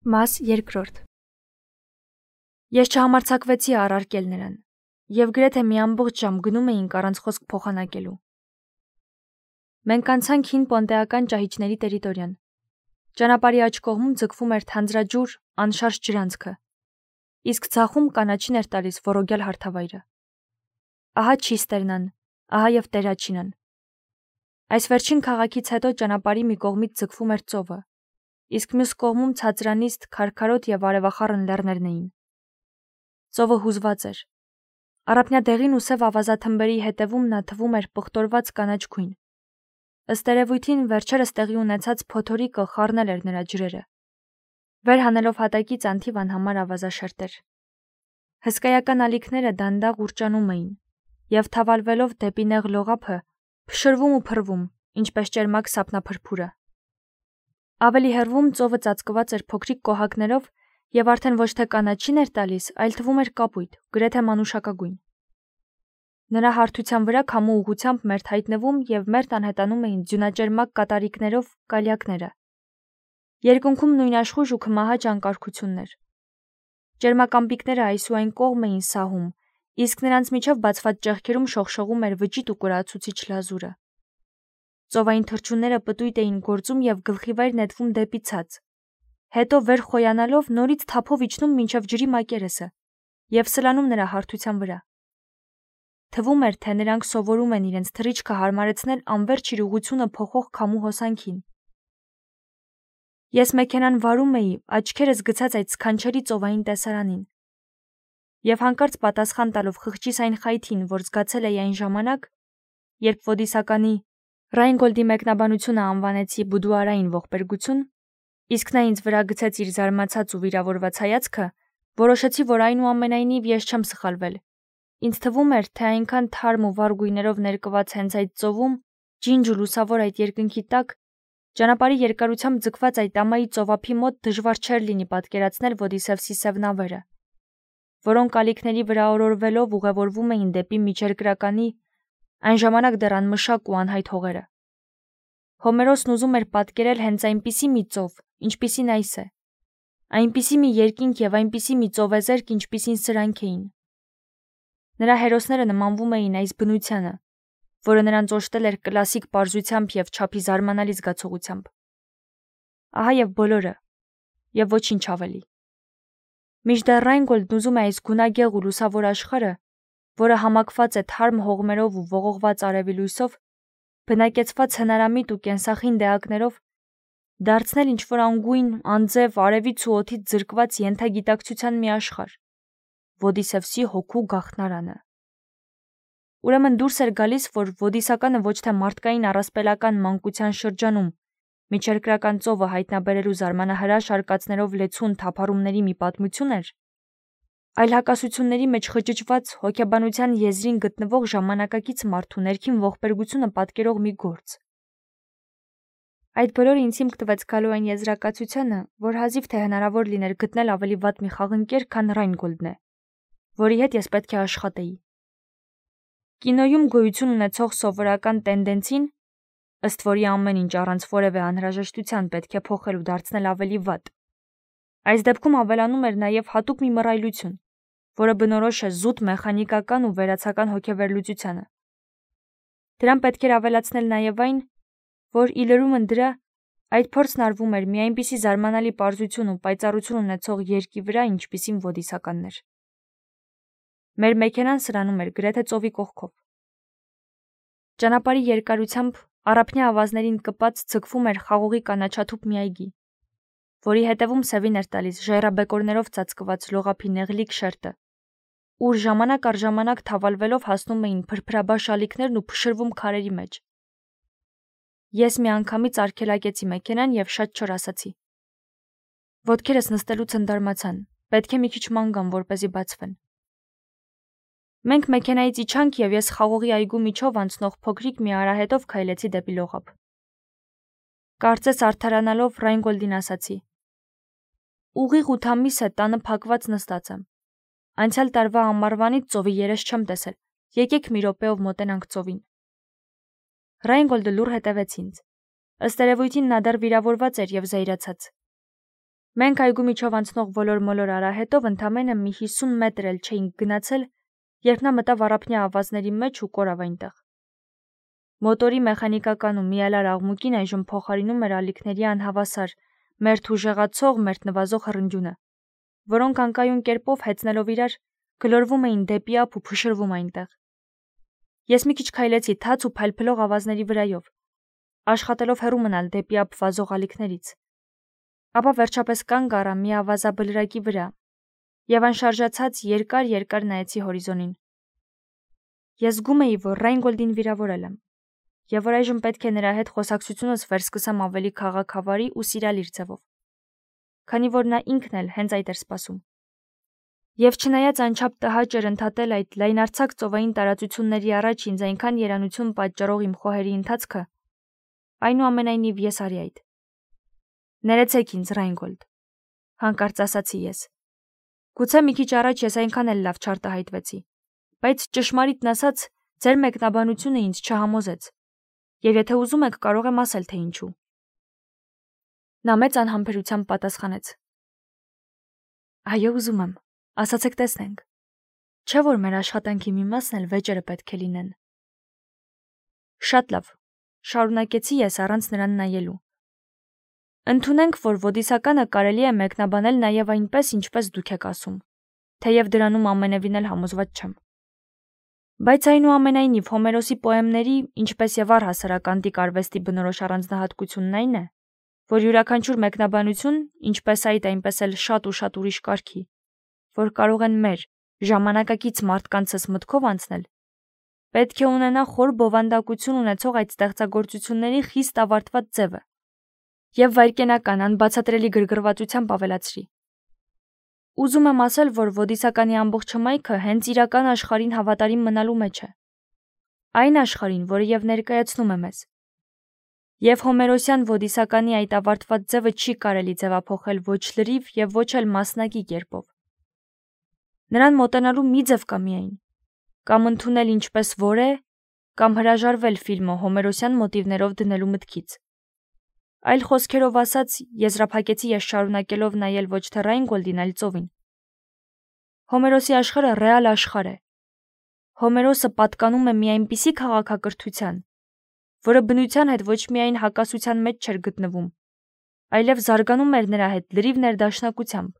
Մաս երկրորդ։ Ես չհամարձակվեցի առարկել նրան, և գրեթե մի ամբողջ ժամ գնում էինք առանց խոսք փոխանակելու։ Մենք անցանք հին պոնտեական ճահիճների տերիտորիան։ Ճանապարհի աջ կողմում ձգվում էր թանձրաջուր, անշարժ ջրանցքը, իսկ ձախում կանաչին էր տալիս ոռոգյալ հարթավայրը։ Ահա Չիստերնան, ահա և Տերաչինան։ Այս վերջին քաղաքից հետո ճանապարհի մի կողմից ձգվում էր ծովը, իսկ մյուս կողմում ցածրանիստ, քարքարոտ և արևախառն լեռներն էին։ Ծովը հուզված էր։ Առափնյա դեղին ու սև ավազաթմբերի հետևում նա թվում էր պղտորված կանաչ քույն։ Ըստ երևույթին վերջերս տեղի ունեցած փոթորիկը խառնել էր նրա ջրերը։ Վեր հանելով հատակից անթիվ անհամար ավազաշերտեր։ Հսկայական ալիքները դանդաղ ուռճանում էին, և թավալվելով դեպի նեղ լողափը, փշրվում ու փռվում, ինչպես ճերմակ սափնափրփուրը։ Ավելի հեռվում ծովը ծածկված էր փոքրիկ կոհակներով և արդեն ոչ թե կանաչին էր տալիս, այլ թվում էր կապույտ, գրեթե մանուշակագույն։ Նրա հարթության վրա քամու ուղղությամբ մերթ հայտնվում և մերթ անհետանում էին ձյունաճերմակ կատարիկներով կալյակները։ Երկնքում նույնաշխույժ ու քմահաճ անկարգություններ։ Ճերմակամպիկները այս ու այն կողմ էին սահում, իսկ նրանց միջև բացված ճեղքերում շողշողում էր վճիտ ու կուրացուցիչ լազուրը։ Ծովային թռչունները պտույտ էին գործում և գլխիվայր նետվում դեպի ցած, հետո վեր խոյանալով նորից թափով իջնում մինչև ջրի մակերեսը և սլանում նրա հարթության վրա։ Թվում էր, թե նրանք սովորում են իրենց թռիչքը հարմարեցնել անվերջ իրողությունը փոխող քամու հոսանքին։ Ես մեքենան վարում էի, աչքերս գցած այդ սքանչելի ծովային տեսարանին։ Եվ հանկարծ պատասխան տալով խղճիս այն խայթին, որ զգացել էի այն ժամանակ, երբ Ոդիսականի Ռայնգոլդի մեկնաբանությունը անվանեցի բուդուարային ողբերգություն, իսկ նա ինձ վրա գցեց իր զարմացած ու վիրավորված հայացքը, որոշեցի, որ այնուամենայնիվ ես չեմ սխալվել։ Ինձ թվում էր, թե այնքան թարմ ու վառ գույներով ներկված հենց այդ ծովում, ջինջ ու լուսավոր այդ երկնքի տակ, ճանապարհի երկարությամբ ձգված այդ ամայի ծովափի մոտ դժվար չէր լինի պատկերացնել Ոդիսևսի սև նավերը, որոնք ալիքների վրա օրորվելով ուղևորվում էին դեպի միջերկրականի այն ժամանակ դեռ անմշակ ու անհայտ հողերը։ Հոմերոսն ուզում էր պատկերել հենց այնպիսի մի ծով, ինչպիսին այս է, այնպիսի մի երկինք և այնպիսի մի ծովեզերք, ինչպիսին սրանք էին։ Նրա հերոսները նմանվում էին այս բնությանը, որը նրանց օժտել էր կլասիկ պարզությամբ և չափի զարմանալի զգացողությամբ։ Ահա և բոլորը, և ոչինչ ավելի։ Մինչդեռ Ռայնգոլդն ուզում է այս գունագեղ ու լուսավոր աշխարհը, որը համակված է թարմ հողմերով ու ողողված արևի լույսով, բնակեցված հնարամիտ ու կենսախինդ էակներով, դարձնել ինչ-որ անգույն, անձև, արևից ու օդից զրկված ենթագիտակցության մի աշխարհ, Ոդիսևսի հոգու գաղթնարանը։ Ուրեմն դուրս էր գալիս, որ Ոդիսականը ոչ թե մարդկային առասպելական մանկության շրջանում միջերկրական ծովը հայտնաբերելու զարմանահրաշ արկածներով լեցուն թափառումների մի պատմություն էր, այլ հակասությունների մեջ խճճված հոգեբանության եզրին գտնվող ժամանակակից մարդու ներքին ողբերգությունը պատկերող մի գործ։ Այդ բոլորը ինձ հիմք տվեց գալու այն եզրակացությանը, որ հազիվ թե հնարավոր լիներ գտնել ավելի վատ մի խաղընկեր, քան Ռայնգոլդն է, որի հետ ես պետք է աշխատեի։ Կինոյում գոյություն ունեցող սովորական տենդենցին, ըստ որի ամեն ինչ առանց որևէ անհրաժեշտության պետք է փոխել ու դարձնել ավելի վատ, այս դեպքում ավելանում էր նաև հատուկ մի մռայլություն, որը բնորոշ է զուտ մեխանիկական ու վերացական հոգեվերլուծությանը։ Դրան պետք էր ավելացնել նաև այն, որ ի լրումն դրա, այդ փորձն արվում էր մի այնպիսի զարմանալի պարզություն ու պայծառություն ունեցող երկի վրա, ինչպիսին Ոդիսականն էր։ Մեր մեքենան սրանում էր գրեթե ծովի կողքով։ Ճանապարհի երկարությամբ առափնյա ավազներին կպած ձգվում էր խաղողի կանաչաթուփ մի այգի, որի հետևում սևին էր տալիս ժայռաբեկորներով ծածկված լողափի նեղլիկ շերտը, ուր ժամանակ առ ժամանակ թավալվելով հասնում էին փրփրաբաշ ալիքներն ու փշրվում քարերի մեջ։ Ես միանգամից արգելակեցի մեքենան և շատ չոր ասացի. Ոտքերս նստելուց ընդարմացան, պետք է մի քիչ ման գամ, որպեսզի բացվեն։ Մենք մեքենայից իջանք և ես խաղողի այգու միջով անցնող փոքրիկ մի արահետով քայլեցի դեպի լողափ։ Կարծես արդարանալով Ռայնգոլդին ասացի. Ուղիղ 8 ամիս է տանը փակված նստած եմ։ Անցյալ տարվա ամառվանից ծովի երես չեմ տեսել, եկեք մի րոպեով մոտենանք ծովին։ Ռայնգոլդը լուռ հետևեց ինձ։ Ըստ երևույթին նա դեռ վիրավորված էր և զայրացած։ Մենք այգու միջով անցնող ոլոր-մոլոր արահետով ընդամենը մի 50 մետր էլ չէինք գնացել, երբ նա մտավ առափնյա ավազների մեջ ու կորավ այնտեղ։ Մոտորի մեխանիկական ու միալար աղմուկին այժմ փոխարինում էր ալիքների անհավասար, մերթ ուժեղացող, մերթ նվազող հռնջյունը, որոնք անկայուն կերպով հեծնելով իրար գլորվում էին դեպի ափ ու փշրվում այնտեղ։ Ես մի քիչ քայլեցի թաց ու փայլփլող ավազների վրայով, աշխատելով հեռու մնալ դեպի ափ վազող ալիքներից։ Ապա վերջապես կանգ առա մի ավազաբլրակի վրա եւ անշարժացած երկար նայեցի հորիզոնին։ Ես զգում էի, որ Ռայնգոլդին վիրավորել եմ, եւ որ այժմ պետք է նրա հետ խոսակցությունս վերսկսեմ ավելի քաղաքավարի ու սիրալիր ձևով, քանի որ նա ինքն էլ հենց այդ էր սպասում։ Եվ չնայած անչափ տհաճ էր ընդհատել այդ լայնարձակ ծովային տարածությունների առաջ ինձ այնքան երանություն պատճառող իմ խոհերի ընթացքը, այնուամենայնիվ ես արի այդ։ Ներեցեք ինձ, Ռայնգոլդ, հանկարծ ասացի ես։ Գուցե մի քիչ առաջ ես այնքան էլ լավ չարտահայտվեցի, բայց ճշմարիտն ասած, ձեր մեկնաբանությունը ինձ չհամոզեց, եւ եթե ուզում եք, կարող եմ ասել, թե ինչու։ Նա մեծ անհամբերությամբ պատասխանեց. Այո, ուզում եմ, ասացեք տեսնենք։ Չէ՞ որ մեր աշխատանքի մի մասն էլ վեճերը պետք է լինեն։ Շատ լավ, շարունակեցի ես առանց նրան նայելու։ Ընդունենք, որ ոդիսականը կարելի է մեկնաբանել նաև այնպես, ինչպես դուք եք ասում, թեև դրանում ամենևին էլ համոզված չեմ։ Բայց այնուամենայնիվ Հոմերոսի պոեմների, ինչպես եւ առհասարակ անտիկ արվեստի բնորոշ առանձնահատկությունն այն է, որ յուրաքանչյուր մեկնաբանություն, ինչպես այդ, այնպես էլ շատ ու շատ ուրիշ կարգի, որ կարող են մեր ժամանակակից մարդկանցս մտքով անցնել, պետք է ունենա խոր բովանդակություն ունեցող այդ ստեղծագործությունների խիստ ավարտված ձևը եւ վայրկենական անբացատրելի գրգռվածությամբ ավելացրի։ Ուզում եմ ասել, որ ոդիսականի ամբողջ հմայքը հենց իրական աշխարհին հավատարիմ մնալու մեջ է։ Այն աշխարհին, որը եւ ներկայացնում է մեզ։ Եվ Հոմերոսյան ոդիսականի այդ ավարտված ձևը չի կարելի ձևափոխել ոչ լրիվ եւ ոչ էլ մասնակի կերպով։ Նրան մոտենալու մի ձև կա միայն, կամ ընդունել ինչպես որ է, կամ հրաժարվել ֆիլմը Հոմերոսյան մոտիվներով դնելու մտքից։ Այլ խոսքերով ասած, եզրափակեցի ես շարունակելով նայել ոչ թե Ռայնգոլդին, այլ ծովին։ Հոմերոսի աշխարհը ռեալ աշխարհ է։ Հոմերոսը պատկանում է մի այնպիսի քաղաքակրթության, որը բնության հետ ոչ միայն հակասության մեջ չէր գտնվում, այլև զարգանում էր նրա հետ լրիվ ներդաշնակությամբ։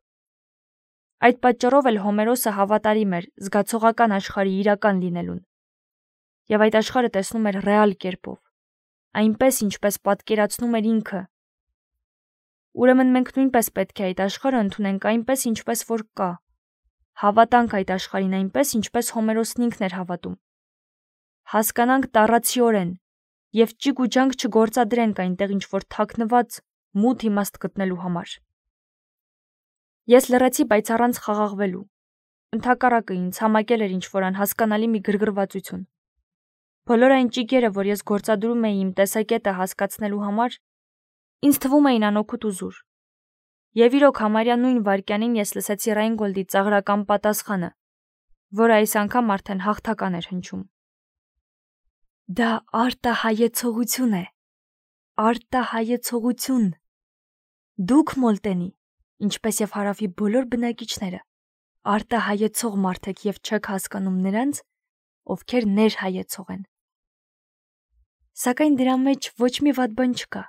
Այդ պատճառով էլ Հոմերոսը հավատարիմ էր զգացողական աշխարհի իրական լինելուն, եւ այդ աշխարհը տեսնում էր ռեալ կերպով, այնպես ինչպես պատկերացնում էր ինքը։ Ուրեմն մենք նույնպես պետք է այդ աշխարհը ընդունենք այնպես, ինչպես որ կա, հավատանք այդ աշխարհին այնպես, ինչպես Հոմերոսն ինքն էր հավատում, հասկանանք տառացիորեն եւ ճիգ ու ջանք չգործադրենք այնտեղ ինչ-որ թաքնված մութ իմաստ գտնելու համար։ Ես լռեցի, բայց առանց խաղաղվելու։ Ընդհակառակը ինձ համակել էր ինչ-որ անհասկանալի մի գրգռվածություն։ Բոլոր այն ճիգերը, որ ես գործադրում էի իմ տեսակետը հասկացնելու համար, ինձ թվում էին անօգուտ ու զուր։ Եվ իրոք համարյա նույն վայրկյանին ես լսեցի Ռայնգոլդի ծաղրական պատասխանը, որը այս անգամ արդեն հաղթական էր հնչում։ Դա արտահայեցողություն է։ Արտահայեցողություն։ Դուք Մոլտենի, ինչպես եւ հարավի բոլոր բնակիչները, արտահայեցող մարդ եք եւ չեք հասկանում նրանց, ովքեր ներհայեցող են։ Սակայն դրա մեջ ոչ մի վատ բան չկա։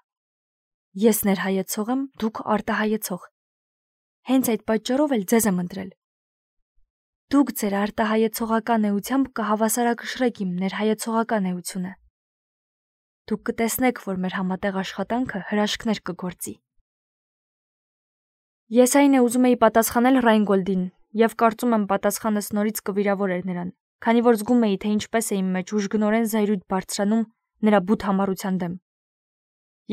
Ես ներհայեցող եմ, դուք արտահայեցող։ Հենց այդ պատճառով էլ ձեզ եմ ընտրել։ Դուք ձեր արտահայեցողական էությամբ կհավասարակշռեք իմ ներհայեցողական էությունը։ Դուք կտեսնեք, որ մեր համատեղ աշխատանքը հրաշքներ կգործի։ Ես այն է ուզում էի պատասխանել Ռայնգոլդին եւ կարծում եմ պատասխանս նորից կվիրավորեր նրան, քանի որ զգում էի, թե ինչպես է իմ մեջ ուժգնորեն զայրույթ բարձրանում նրա բութ համառության դեմ։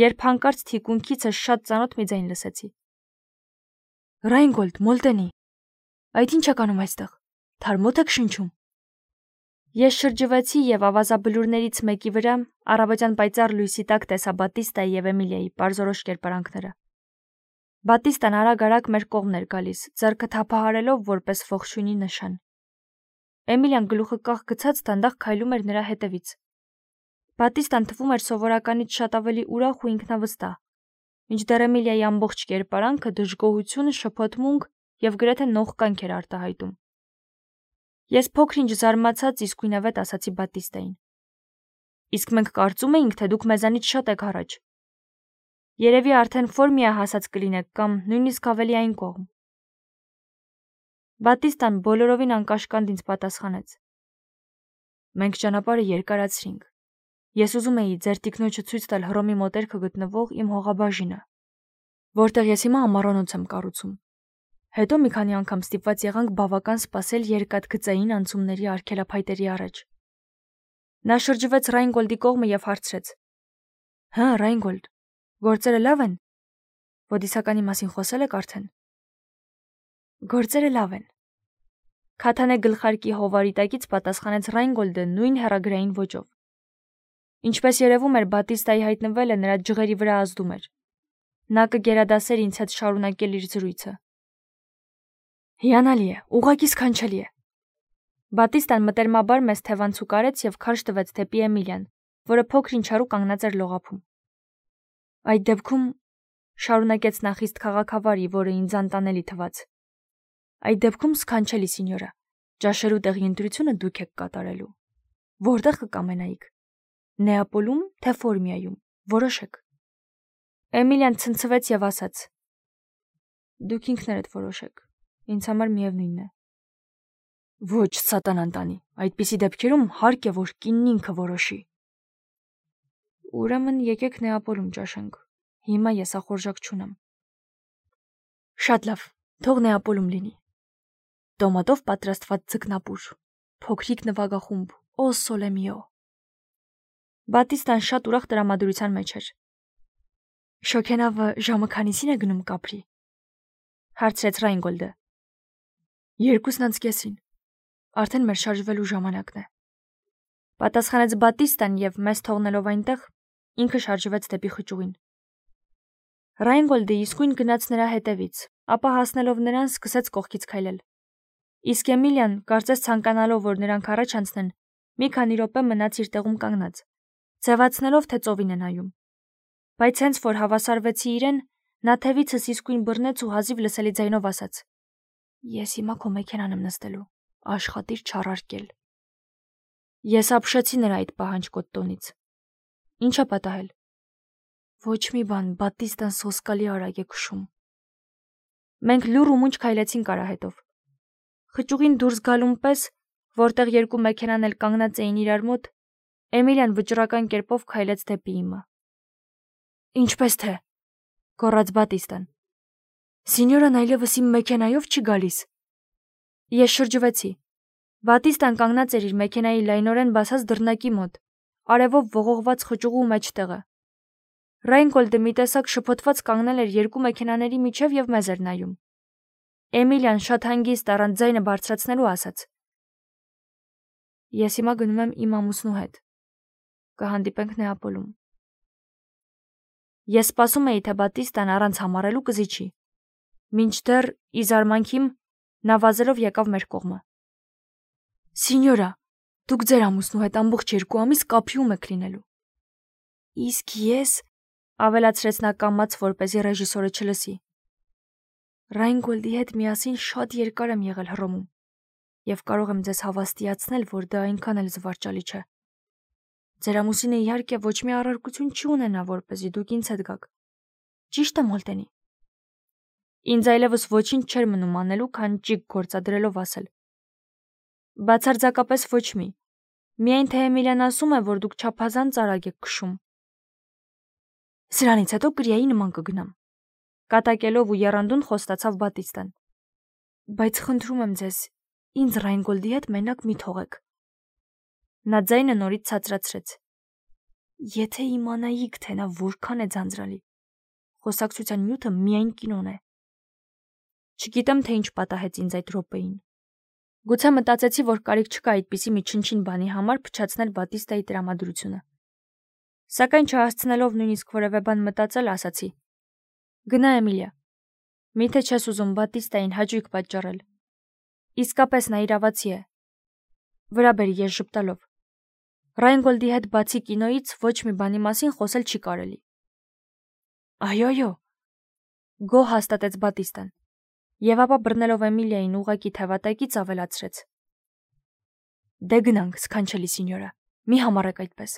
Երբ հանկարծ թիկունքիցս շատ ծանոթ մի ձայն լսեցի։ Ռայնգոլդ, Մոլտենի, այդ ինչ եք անում այստեղ։ Թարմոթ եք շնչում։ Ես շրջվեցի եւ ավազաբլուրներից մեկի վրա առավոտյան պայծառ լույսի տակ տեսա Բատիստայի եւ Էմիլիայի պարզորոշ կերպարանքները։ Բատիստան արագ-արագ մեր կողմն էր գալիս, ձեռքը թափահարելով որպես ողջույնի նշան։ Էմիլիան գլուխը կախ գցած դանդաղ քայլում էր նրա հետևից։ Բատիստան թվում էր սովորականից շատ ավելի ուրախ ու ինքնավստահ, Մինչդեռ Էմիլիայի ամբողջ կերպարանքը դժգոհություն, շփոթմունք եւ գրեթե նողկանք էր արտահայտում։ Ես փոքր-ինչ զարմացած իսկույնավետ ասացի Բատիստային. Իսկ մենք կարծում էինք, թե դուք մեզանից շատ եք առաջ։ Երևի արդեն ֆորմիա հասած կլինեք կամ նույնիսկ ավելի այն կողմ։ Բատիստան բոլորովին անկաշկանդ ինձ պատասխանեց. Մենք ճանապարհը երկարացրինք։ Ես ուզում էի ձեր տիկնոջը ցույց տալ Հռոմի մոտերքը գտնվող իմ հողաբաժինը, որտեղ ես հիմա ամառանոց եմ կառուցում։ Հետո մի քանի անգամ ստիպված եղանք բավական սպասել երկաթգծային անցումների արգելափայտերի առաջ։ Նա շրջվեց Ռայնգոլդի կողմը եւ հարցրեց. Հա, Ռայնգոլդ, գործերը լավ են։ Ոդիսականի մասին խոսել եք արդեն։ Գործերը լավ են։ Քաթանե գլխարկի հովարի տակից պատասխանեց Ռայնգոլդը նույն հեռագրային ոճով։ Ինչպես երևում էր, Բատիստայի հայտնվելը նրա ջղերի վրա ազդում էր։ Նա կգերադասեր ինձ հետ շարունակել իր զրույցը։ Հիանալի է, ուղղակի սքանչելի է։ Բատիստան մտերմաբար մեզ թևանցուկարեց եւ քարշ տվեց դեպի Էմիլիան, որը փոքր-ինչ հեռու կանգնած էր լողափում։ Այդ դեպքում շարունակեց նա խիստ քաղաքավարի, որը ինձ անտանելի թվաց։ Այդ դեպքում սքանչելի սինյորա, ճաշելու տեղի ընտրությունը դուք եք կատարելու։ Որտեղ կկամենայիք։ Նեապոլում, թե Ֆորմիայում, որոշեք։ Էմիլիան ցնցվեց եւ ասաց. Դուք ինքներդ որոշեք, ինձ համար միևնույնն է։ Ոչ, սատանան տանի, այդպիսի դեպքերում հարկ է, որ կինն ինքը որոշի։ Ուրեմն եկեք Նեապոլում ճաշենք, հիմա ես ախորժակ չունեմ։ Շատ լավ, թող Նեապոլում լինի։ Տոմատով պատրաստված ձկնապուր, փոքրիկ նվագախումբ, օ սոլե միո։ Բատիստան շատ ուրախ տրամադրության մեջ էր։ Շոքենավը ժամը քանիսին է գնում կապրի։ Հարցրեց Ռայնգոլդը։ 2:30-ին։ Արդեն մեր շարժվելու ժամանակն է։ Պատասխանեց Բատիստան եւ մեզ թողնելով այնտեղ, ինքը շարժվեց դեպի խճուղին։ Ռայնգոլդը իսկույն գնաց նրա հետևից, ապա հասնելով նրան սկսեց կողքից քայլել։ Իսկ Էմիլիան, կարծես ցանկանալով, որ նրանք առաջ անցնեն, մի քանի րոպե մնաց իր տեղում կանգնած, ձևացնելով, թե ծովին է նայում։ Բայց հենց որ հավասարվեցի իրեն, նա թևիցս իսկույն բռնեց ու հազիվ լսելի ձայնով ասաց. Ես հիմա քո մեքենան եմ նստելու, աշխատիր չառարկել։ Ես ապշեցի նրա այդ պահանջկոտ տոնից։ Ինչ է պատահել։ Ոչ մի բան, Բատիստան սոսկալի արագ է քշում։ Մենք լուռ ու մունջ քայլեցինք արահետով։ Խճուղին դուրս գալուն պես, որտեղ երկու մեքենան էլ կանգնած էին իրար մոտ, Էմիլիան վճռական կերպով քայլեց դեպի իմը։ Ինչպես թե, գոռաց Բատիստան։ Սինյորան այլևս իմ մեքենայով չի գալիս։ Ես շրջվեցի։ Բատիստան կանգնած էր իր մեքենայի լայնորեն բացած դռնակի մոտ, արևով ողողված խճուղու մեջտեղը։ Ռայնգոլդը մի տեսակ շփոթված կանգնել էր երկու մեքենաների միջև եւ մեզ էր նայում։ Էմիլիան շատ հանգիստ առանց ձայնը բարձրացնելու ասաց. Ես հիմա գնում եմ իմ ամուսնու հետ։ Կհանդիպենք Նեապոլում։ Ես սպասում էի, թե Բատիստան առանց համառելու կզիջի։ Մինչդեռ, ի զարմանքիմ, նա վազելով եկավ մեր կողմը։ Սինյորա, դուք ձեր ամուսնու հետ ամբողջ 2 ամիս կապիում եք լինելու։ Իսկ ես, ավելացրեց նա կամաց, որպեսզի ռեժիսորը չլսի։ Ռայնգոլդի հետ միասին շատ երկար եմ եղել Հռոմում եւ կարող եմ ձեզ հավաստիացնել, որ դա այնքան էլ զվարճալի չէ։ Ձեր ամուսինը իհարկե ոչ մի առարկություն չի ունենա, որպեսզի դուք ինձ հետ գաք։ Ճիշտ եմ, Մոլտենի։ Ինձ այլևս ոչինչ չէր մնում անելու, քան ճիգ գործադրելով ասել։ Բացարձակապես ոչ մի։ Միայն թե Էմիլիան ասում է, որ դուք չափազանց արագ եք քշում։ Սրանից հետո կրիայի նման կգնամ։ Կատակելով ու եռանդուն խոստացավ Բատիստան։ Բայց խնդրում եմ ձեզ, ինձ Ռայնգոլդի հետ մենակ մի թողեք։ Նա ձայնը նորից ցածրացրեց։ Եթե իմանայիք, թե նա որքան է ձանձրալի։ Խոսակցության նյութը միայն կինոն է։ Չգիտեմ, թե ինչ պատահեց ինձ այդ րոպեին։ Գուցե մտածեցի, որ կարիք չկա այդպիսի մի չնչին բանի համար փչացնել Բատիստայի տրամադրությունը։ Սակայն չհասցնելով նույնիսկ որևէ բան մտածել, ասացի. Գնա Էմիլիա։ Միթե չես ուզում Բատիստային հաճույք պատճառել։ Իսկապես նա իրավացի է։ Վրա բերի ես ժպտալով։ Ռայնգոլդի հետ բացի կինոյից ոչ մի բանի մասին խոսել չի կարելի։ Այո, գոհ հաստատեց Բատիստան, եւ ապա բռնելով Էմիլիային ուղակի թևատակից ավելացրեց. Դե գնանք, սքանչելի սինյորա, մի համառեք այդպես։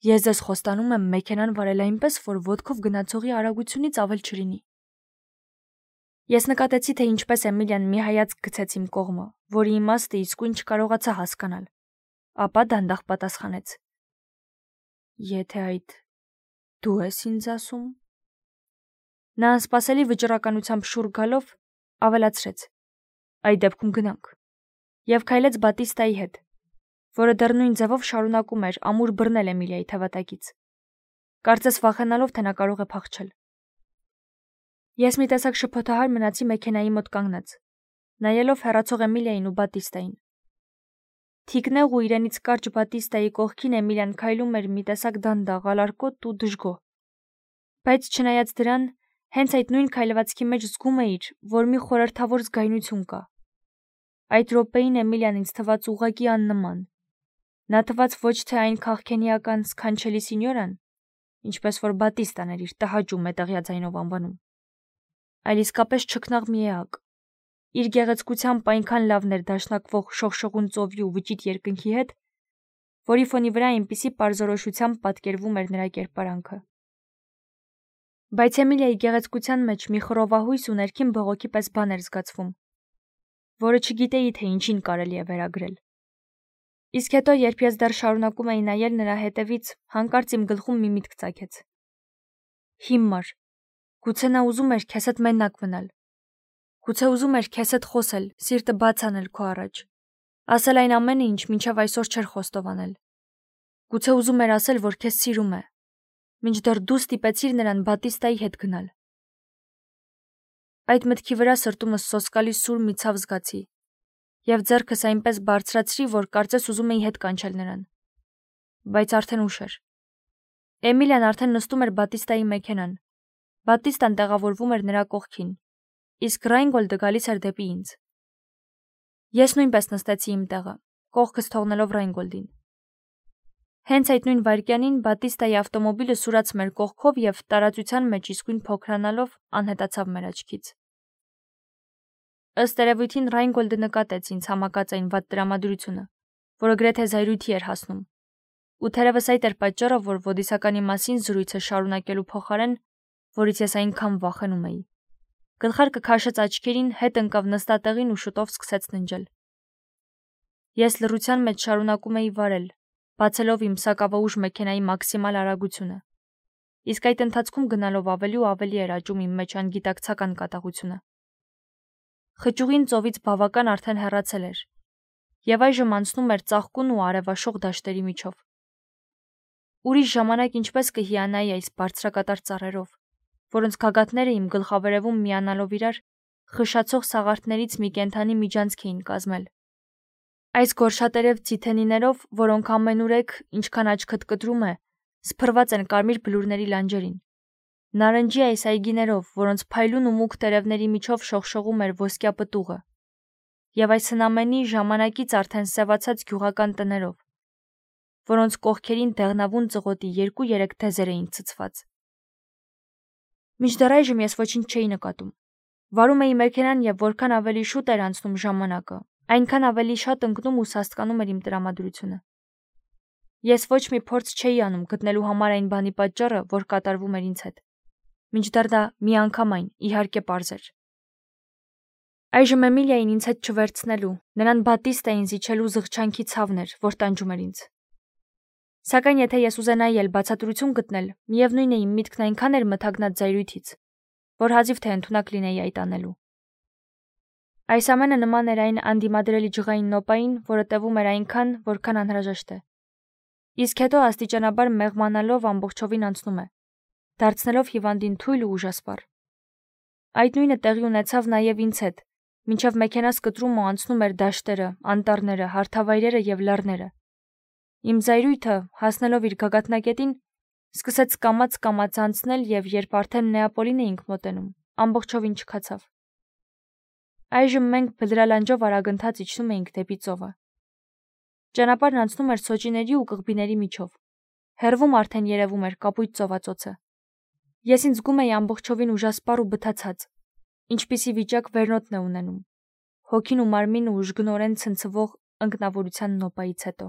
Ես ձեզ խոստանում եմ մեքենան վարել այնպես, որ ոտքով գնացողի արագությունից ավել չլինի։ Ես նկատեցի, թե ինչպես Էմիլիան մի հայացք գցեց իմ կողմը, որի իմաստը իսկույն չկարողացա հասկանալ, ապա դանդաղ պատասխանեց. Եթե այդ դու ես ինձ ասում։ Նա անսպասելի վճռականությամբ շուռ գալով ավելացրեց. Այդ դեպքում գնանք։ Եվ քայլեց Բատիստայի հետ, որը դեռ նույն ձևով շարունակում էր ամուր բռնել Էմիլիայի թևատակից, կարծես վախենալով, թե նա կարող է փախչել։ Ես մի տեսակ շփոթահար մնացի մեքենայի մոտ կանգնած, նայելով հեռացող Էմիլիային ու Բատիստային։ Թիկնեղ ու իրենից կարճ Բատիստայի կողքին Էմիլիան քայլում էր մի տեսակ դանդաղ, ալարկոտ ու դժգոհ։ Բայց չնայած դրան, հենց այդ նույն քայլվածքի մեջ զգում էիր, որ մի խորհրդավոր զգայունություն կա։ Այդ րոպեին Էմիլիան ինձ թվաց ուղղակի աննման։ Նա թվաց ոչ թե այն քաղքենիական սքանչելի սինյորան, ինչպես որ Բատիստան էր իր տհաճ ու մետաղյա ձայնով անվանում, այլ իսկապես չքնաղ մի էակ։ Իր գեղեցկությամբ այնքան լավն էր դաշնակվող շողշողուն ծովի ու վճիտ երկնքի հետ, որի ֆոնի վրա այնպիսի պարզորոշությամբ պատկերվում էր նրա կերպարանքը։ Բայց Էմիլիայի գեղեցկության մեջ մի խռովահույս ու ներքին բողոքի պես բան էր զգացվում, որը չգիտեի, թե ինչին կարելի է վերագրել։ Իսկ հետո, երբ ես դեռ շարունակում էի նայել նրա հետևից, հանկարծ իմ գլխում մի միտք ծագեց։ Հիմար, գուցե նա ուզում էր քեզ հետ մենակ մնալ։ Գուցե ուզում էր քեզ հետ խոսել, սիրտը բաց անել քո առաջ, ասել այն ամենը, ինչ մինչև այսօր չէր խոստովանել։ Գուցե ուզում էր ասել, որ քեզ սիրում է, մինչդեռ դու ստիպեցիր նրան Բատիստայի հետ գնալ։ Այդ մտքի վրա սրտումս սոսկալի սուր մի ցավ զգացի, եւ ձեռքս այնպես բարձրացրի, որ կարծես ուզում էի հետ կանչել նրան։ Բայց արդեն ուշ էր։ Էմիլիան արդեն նստում էր Բատիստայի մեքենան։ Բատիստան տեղավորվում էր նրա կողքին, իսկ Ռայնգոլդը գալիս էր դեպի ինձ։ Ես նույնպես նստեցի իմ տեղը, կողքս թողնելով Ռայնգոլդին։ Հենց այդ նույն վայրկյանին Բատիստայի ավտոմոբիլը սուրաց մեր կողքով եւ տարածության մեջ իսկույն փոքրանալով անհետացավ մեր աչքից։ Ըստ երևույթին Ռայնգոլդը նկատեց ինձ համակած այն վատ տրամադրությունը, որը գրեթե զայրույթի էր հասնում։ Ու թերևս այդ էր պատճառը, որ ոդիսականի մասին զրույցը շարունակելու փոխարեն, որից ես այնքան վախենում էի, գլխարկը քաշեց աչքերին, հետ ընկավ նստատեղին ու շուտով սկսեց ննջել։ Ես լռության մեջ շարունակում էի վարել, բացելով իմ սակավաուժ մեքենայի մաքսիմալ արագությունը։ Իսկ այդ ընթացքում գնալով ավելի ու ավելի էր աճում իմ մեջ անգիտակցական կատաղությունը։ Խճուղին ծովից բավական արդեն հեռացել էր, եւ այժմ անցնում էր ծաղկուն ու արևաշող դաշտերի միջով։ Ուրիշ ժամանակ ինչպես կհիանայի այս բարձրակատար ծառերով, որոնց գագաթները իմ գլխավերևում միանալով իրար, խշացող սաղարթներից մի կենդանի միջանցք էին կազմել։ Այս գորշատերև ցիթենիներով, որոնք ամենուրեք, ինչքան աչքդ կտրում է, սփռված են կարմիր բլուրների լանջերին։ Նարնջի այս այգիներով, որոնց փայլուն ու մուգ տերևների միջով շողշողում էր ոսկյա պտուղը, եւ այս հնամենի ժամանակից արդեն սևացած գյուղական տներով, որոնց կողքերին դեղնավուն ծղոտի 2-3 թեզեր էին ցցված։ Մինչդեռ այժմ ես ոչինչ չէի նկատում։ Վարում էի մեքենան եւ որքան ավելի շուտ էր անցնում ժամանակը, այնքան ավելի շատ ընկնում ու սաստկանում էր իմ տրամադրությունը։ Ես ոչ մի փորձ չէի անում գտնելու համար այն բանի պատճառը, որ կատարվում էր ինձ հետ։ Մինչդեռ դա միանգամայն, իհարկե, պարզ էր։ Այժմ Էմիլիային ինձ հետ չվերցնելու, նրան Բատիստային զիջելու զղջանքի ցավն էր, որ տանջում էր ինձ։ Սակայն եթե ես ուզենայի էլ բացատրություն գտնել, միևնույն է իմ միտքն այնքան էր մթագնած զայրույթից, որ հազիվ թե ընդունակ լինեի այդ անելու։ Այս ամենը նման էր այն անդիմադրելի ջղային նոպային, որը տևում էր այնքան, որքան անհրաժեշտ է։ Իսկ հետո աստիճանաբար մեղմանալով ամբողջովին անցնում է, դարձնելով հիվանդին թույլ ու ուժասպառ։ Այդ նույնը տեղի ունեցավ նաև ինձ հետ, մինչև մեքենաս կտրում ու անցնում էր դաշտերը, անտառները, հարթավայրերը եւ լեռները։ Իմ զայրույթը, հասնելով իր գագաթնակետին, սկսեց կամաց անցնել եւ երբ արդեն Նեապոլին էինք մոտենում, ամբողջովին չքացավ։ Այժմ մենք բլրալանջով արագընթաց իջնում էինք դեպի ծովը։ Ճանապարհն անցնում էր սոճիների ու կղբիների միջով։ Հեռվում արդեն երևում էր կապույտ ծովածոցը։ Ես ինձ զգում էի ամբողջովին ուժասպառ ու բթացած, ինչպիսի վիճակ վերնոտն է ունենում, հոգին ու մարմինը ուժգնորեն ցնցվող ընկնավորության նոպայից հետո։